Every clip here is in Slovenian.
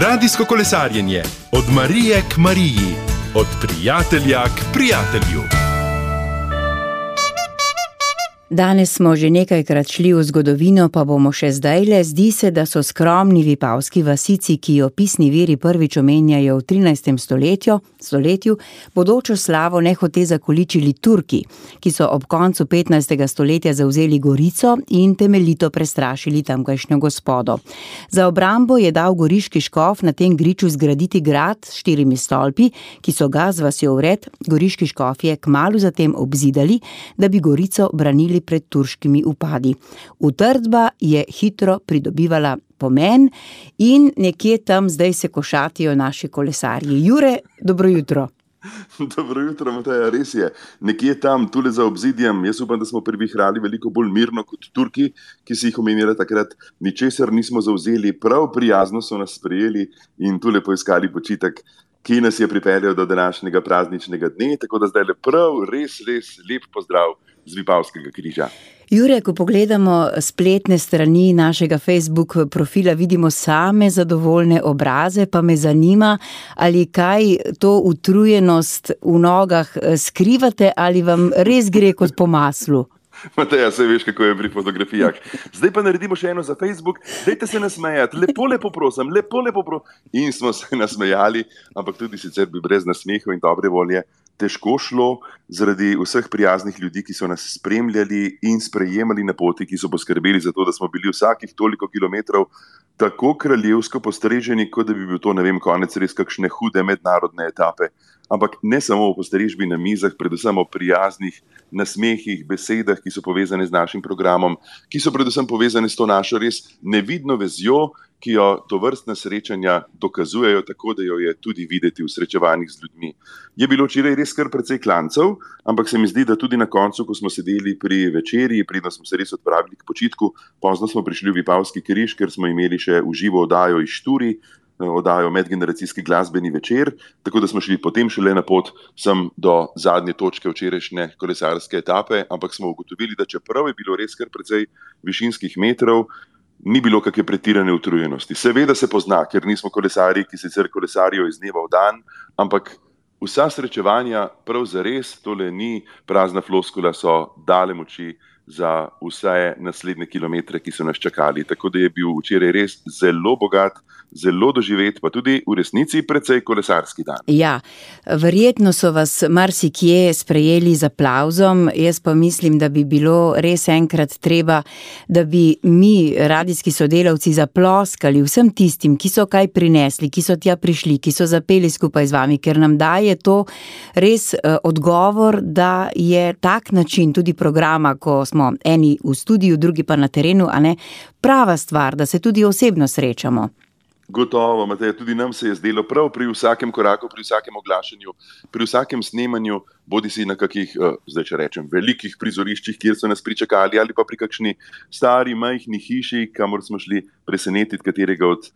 Radijsko kolesarjenje od Marije k Mariji, od prijatelja k prijatelju. Danes smo že nekajkrat šli v zgodovino, pa bomo še zdajle. Zdi se, da so skromni vipavski vasici, ki jo pisni viri prvič omenjajo v 13. stoletju, bodočo slavo nehote zakoličili Turki, ki so ob koncu 15. stoletja zavzeli Gorico in temeljito prestrašili tamkajšnjo gospodo. Za obrambo je dal goriški škof na tem griču zgraditi grad s 4 stolpi, ki so ga z vasjo vred goriški škofje kmalu zatem obzidali, da bi Gorico branili pred turškimi upadi. Utrdba je hitro pridobivala pomen in nekje tam zdaj se košatijo naši kolesarji. Jure, dobro jutro. Dobro jutro, Mateja, res je. Nekje tam, tule za obzidjem, jaz upam, da smo privihrali veliko bolj mirno kot Turki, ki si jih omenjali takrat. Ničesar nismo zavzeli, prav prijazno so nas sprejeli in tule poiskali počitek, ki nas je pripeljal do današnjega prazničnega dne, tako da zdaj prav res lep pozdrav z Vipavskega križa. Jure, ko pogledamo spletne strani našega Facebook profila, vidimo same zadovoljne obraze, pa me zanima, ali kaj to utrujenost v nogah skrivate ali vam res gre kot po maslu? Mateja, saj veš, kako je pri fotografijah. Zdaj pa naredimo še eno za Facebook. Dajte se nasmejati, lepo prosim. In smo se nasmejali, ampak tudi sicer bi brez nasmehov in dobre volje težko šlo zaradi vseh prijaznih ljudi, ki so nas spremljali in sprejemali na poti, ki so poskrbeli za to, da smo bili vsakih toliko kilometrov tako kraljevsko postreženi, kot da bi bil to, konec res kakšne hude mednarodne etape. Ampak ne samo o postrežbi na mizah, predvsem o prijaznih nasmehih, besedah, ki so povezane z našim programom, ki so predvsem povezane s to našo res nevidno vezjo, ki jo tovrstna srečanja dokazujejo, tako da jo je tudi videti v srečevanjih z ljudmi. Je bilo včeraj res kar precej klancev, ampak se mi zdi, da tudi na koncu, ko smo sedeli pri večerji, preden smo se res odpravili k počitku, pozno smo prišli v Vipavski križ, ker smo imeli še v živo oddajo iz Šturi, oddajo Medgeneracijski glasbeni večer, tako da smo šli potem šele na pot sem do zadnje točke včerajšnje kolesarske etape, ampak smo ugotovili, da čeprav je bilo res kar precej višinskih metrov, ni bilo kakšne pretirane utrujenosti. Seveda se pozna, ker nismo kolesarji, ki sicer kolesarijo iz dneva v dan, ampak vsa srečevanja prav zares, tole ni prazna floskula, so dale moči za vse naslednje kilometre, ki so nas čakali. Tako da je bil včeraj res zelo bogat, zelo doživet, pa tudi v resnici precej kolesarski dan. Ja, verjetno so vas marsikje sprejeli z aplavzom, jaz pa mislim, da bi bilo res enkrat treba, da bi mi, radijski sodelavci, zaploskali vsem tistim, ki so kaj prinesli, ki so tja prišli, ki so zapeli skupaj z vami, ker nam daje to res odgovor, da je tak način tudi programa, ko smo eni v studiu, drugi pa na terenu, a ne, prava stvar, da se tudi osebno srečamo. Gotovo, Mateja, tudi nam se je zdelo prav pri vsakem koraku, pri vsakem oglašanju, pri vsakem snemanju, bodisi na kakih, zdaj če rečem, velikih prizoriščih, kjer so nas pričakali, ali pa pri kakšni stari, majhni hiši, kamor smo šli presenetiti katerega od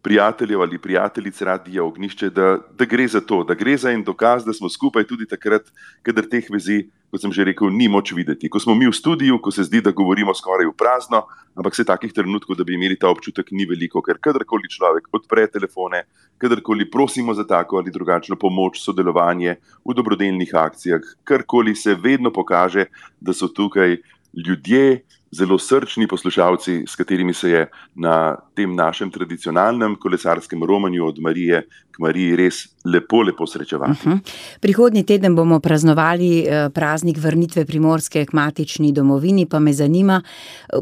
prijateljev ali prijateljic Radia Ognjišče, da gre za to, da gre za en dokaz, da smo skupaj tudi takrat, kadar teh vezi, kot sem že rekel, ni moč videti. Ko smo mi v studiu, ko se zdi, da govorimo skoraj v prazno, ampak se takih trenutkov, da bi imeli ta občutek, ni veliko, ker kadarkoli človek odpre telefone, kadarkoli prosimo za tako ali drugačno pomoč, sodelovanje v dobrodelnih akcijah, karkoli se vedno pokaže, da so tukaj ljudje, zelo srčni poslušalci, s katerimi se je na tem našem tradicionalnem kolesarskem romanju od Marije k Mariji res lepo srečevati. Prihodnji teden bomo praznovali praznik vrnitve Primorske k matični domovini, pa me zanima,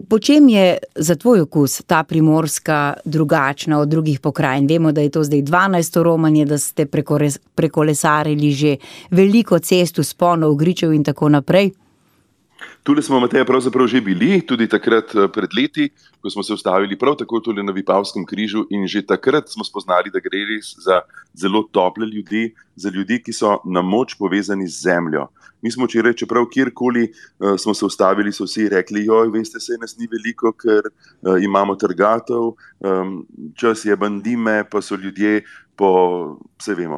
po čem je za tvoj okus ta Primorska drugačna od drugih pokrajin? Vemo, da je to zdaj 12. romanje, da ste prekolesarili že veliko cest, vzponov, gričev in tako naprej. Tule smo, Mateja, pravzaprav že bili, tudi takrat pred leti, ko smo se ustavili prav tako tule na Vipavskem križu in že takrat smo spoznali, da gre res za zelo tople ljudi, za ljudi, ki so na moč povezani z zemljo. Mi smo včeraj, čeprav kjerkoli smo se ustavili, so vsi rekli, veste, se nas ni veliko, ker imamo trgatev, čas je bandime, pa so ljudje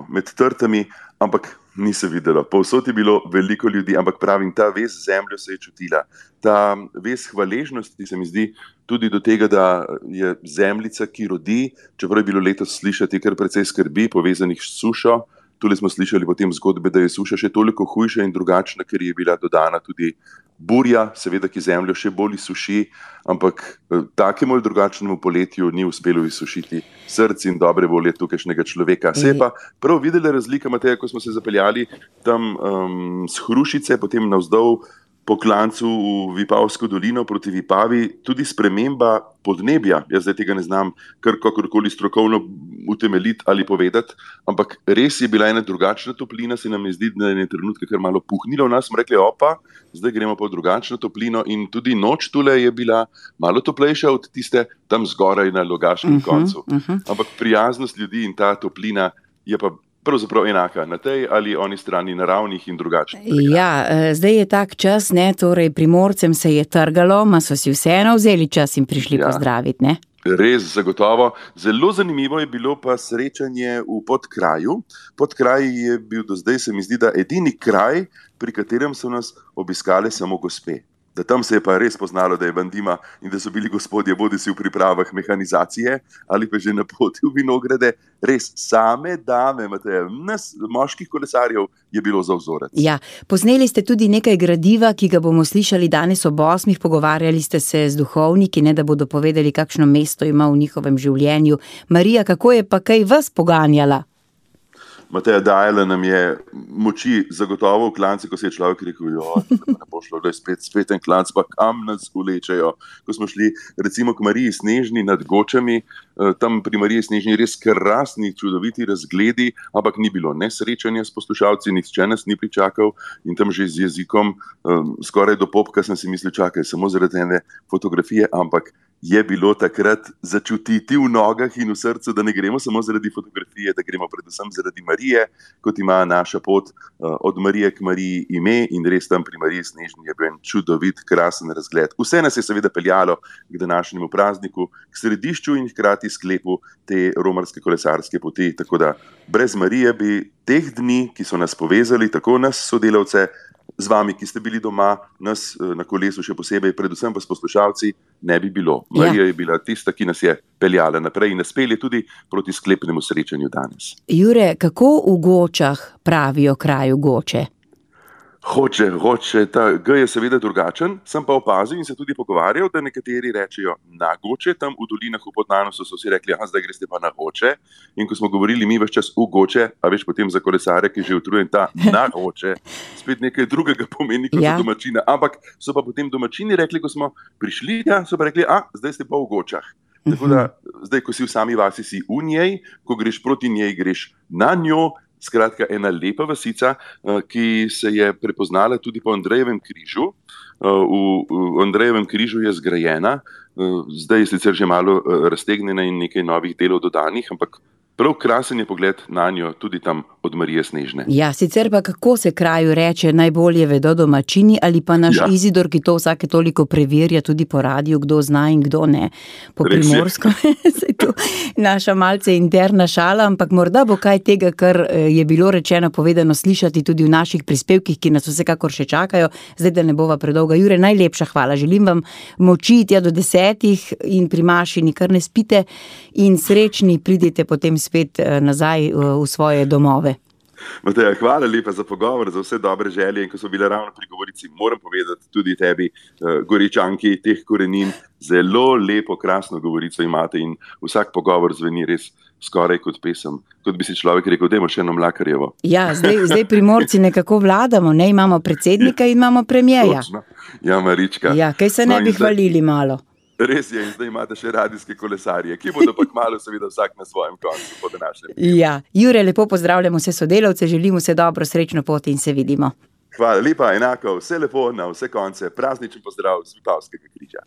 med trtami, ampak Ni se videlo. Povsod je bilo veliko ljudi, ampak pravim, ta vez z zemljo se je čutila. Ta vez hvaležnosti se mi zdi tudi do tega, da je zemljica, ki rodi, čeprav je bilo letos slišati kar precej skrbi, povezanih s sušo. Tule smo slišali potem zgodbe, da je suša še toliko hujša in drugačna, ker je bila dodana tudi burja, seveda, ki zemljo še bolj izsuši, ampak takemu ali drugačnemu poletju ni uspelo izsušiti src in dobre volje tukajšnjega človeka. Se je pa prav videla razlika, Mateja, ko smo se zapeljali tam s Hrušice, potem navzdol po klancu v Vipavsko dolino proti Vipavi, tudi sprememba podnebja. Jaz zdaj tega ne znam kakorkoli strokovno utemeljiti ali povedati, ampak res je bila ena drugačna toplina, se nam je zdi, da je trenutke kar malo puhnilo v nas, smo rekli, opa, zdaj gremo pa v drugačno toplino in tudi noč tule je bila malo toplejša od tiste tam zgoraj na Logaškem koncu. Ampak prijaznost ljudi in ta toplina je pa pravzaprav enaka na tej ali oni strani naravnih in drugačnih. Ja, zdaj je tak čas, ne, torej Primorcem se je trgalo, ma so si vseeno vzeli čas in prišli pozdraviti, ne? Res, zagotovo. Zelo zanimivo je bilo pa srečanje v Podkraju. Podkraj je bil do zdaj, se mi zdi, da edini kraj, pri katerem so nas obiskale samo gospe. Da tam se je pa res poznalo, da je bandima in da so bili gospodje bodisi v pripravah mehanizacije ali pa že na poti v vinograde. Res same dame, Mateja, nas moških kolesarjev je bilo za vzorec. Ja, posneli ste tudi nekaj gradiva, ki ga bomo slišali danes ob 8. Pogovarjali ste se z duhovniki, ne, da bodo povedali, kakšno mesto ima v njihovem življenju. Marija, kako je pa kaj vas poganjala? Mateja, dajala nam je moči zagotovo v klanci, ko se je človek rekel, da ne bo šlo, da je spet en klanc, pa kam nas vlečejo. Ko smo šli recimo k Mariji Snežni nad Gočami, tam pri Mariji Snežni res krasni, čudoviti razgledi, ampak ni bilo nesrečanja s poslušalci, nihče nas ni pričakal in tam že z jezikom skoraj do popka sem si mislil, čakaj, samo zaradi ene fotografije, ampak je bilo takrat začutiti v nogah in v srcu, da ne gremo samo zaradi fotografije, da gremo predvsem zaradi Marije, kot ima naša pot od Marije k Mariji ime in res tam pri Mariji Snežni je bil en čudovit, krasen razgled. Vse nas je seveda peljalo k današnjemu prazniku, k središču in hkrati sklepu te romarske kolesarske poti, tako da brez Marije bi teh dni, ki so nas povezali, tako nas sodelavce, z vami, ki ste bili doma, nas na kolesu še posebej, predvsem pa s poslušalci, ne bi bilo. Marija je bila tista, ki nas je peljala naprej in nas pelje tudi proti sklepnemu srečanju danes. Jure, kako v Gočah pravijo kraju Goče? Hoče, ta G je seveda drugačen, sem pa opazil in se tudi pogovarjal, da nekateri rečejo na Goče, tam v dolinah v Podnanosu so si rekli, zdaj greste pa na Hoče. In ko smo govorili mi ves čas v Goče, a veš potem za kolesarja, ki že utrujen ta na Hoče, spet nekaj drugega pomeni kot za domačina. Ampak so pa potem domačini rekli, ko smo prišli, so pa rekli, zdaj ste pa v Gočah. Tako da zdaj, ko si v sami vasi, si v njej, ko greš proti njej, greš na njo. Skratka, ena lepa vasica, ki se je prepoznala tudi po Andrejevem križu. V Andrejevem križu je zgrajena, zdaj je sicer že malo raztegnjena in nekaj novih delov dodanih, ampak prav krasen je pogled na njo tudi tam od Marije Snežne. Ja, sicer pa kako se kraju reče, najbolje vedo domačini ali pa naš Izidor, ki to vsake toliko preverja tudi po radiju, kdo zna in kdo ne. Po primorsko je to naša malce interna šala, ampak morda bo kaj tega, kar je bilo rečeno, povedano slišati tudi v naših prispevkih, ki nas vsekakor še čakajo. Zdaj, da ne bova predolga. Jure, najlepša hvala. Želim vam moči tja do 10 in pri maši nikar ne spite in srečni pridite potem spet nazaj v svoje domove. Mateja, hvala lepa za pogovor, za vse dobre želje in ko so bile ravno pri govorici, moram povedati tudi tebi, Goričanki, teh korenin, zelo lepo, krasno govorico imate in vsak pogovor zveni res skoraj kot pesem, kot bi si človek rekel, dajmo še eno Mlakarjevo. Ja, zdaj Primorci nekako vladamo, ne, imamo predsednika in imamo premierja. Točno. Ja, Marička. Ja, kaj se ne bi hvalili malo. Res je, in zdaj imate še radijske kolesarje, ki bodo pa kmalu seveda vsak na svojem koncu po današnjem. Ja, Jure, lepo pozdravljamo vse sodelavce, želimo vse dobro, srečno pot in se vidimo. Hvala lepa, enako, vse lepo na vse konce, prazničen pozdrav z Vipavskega križa.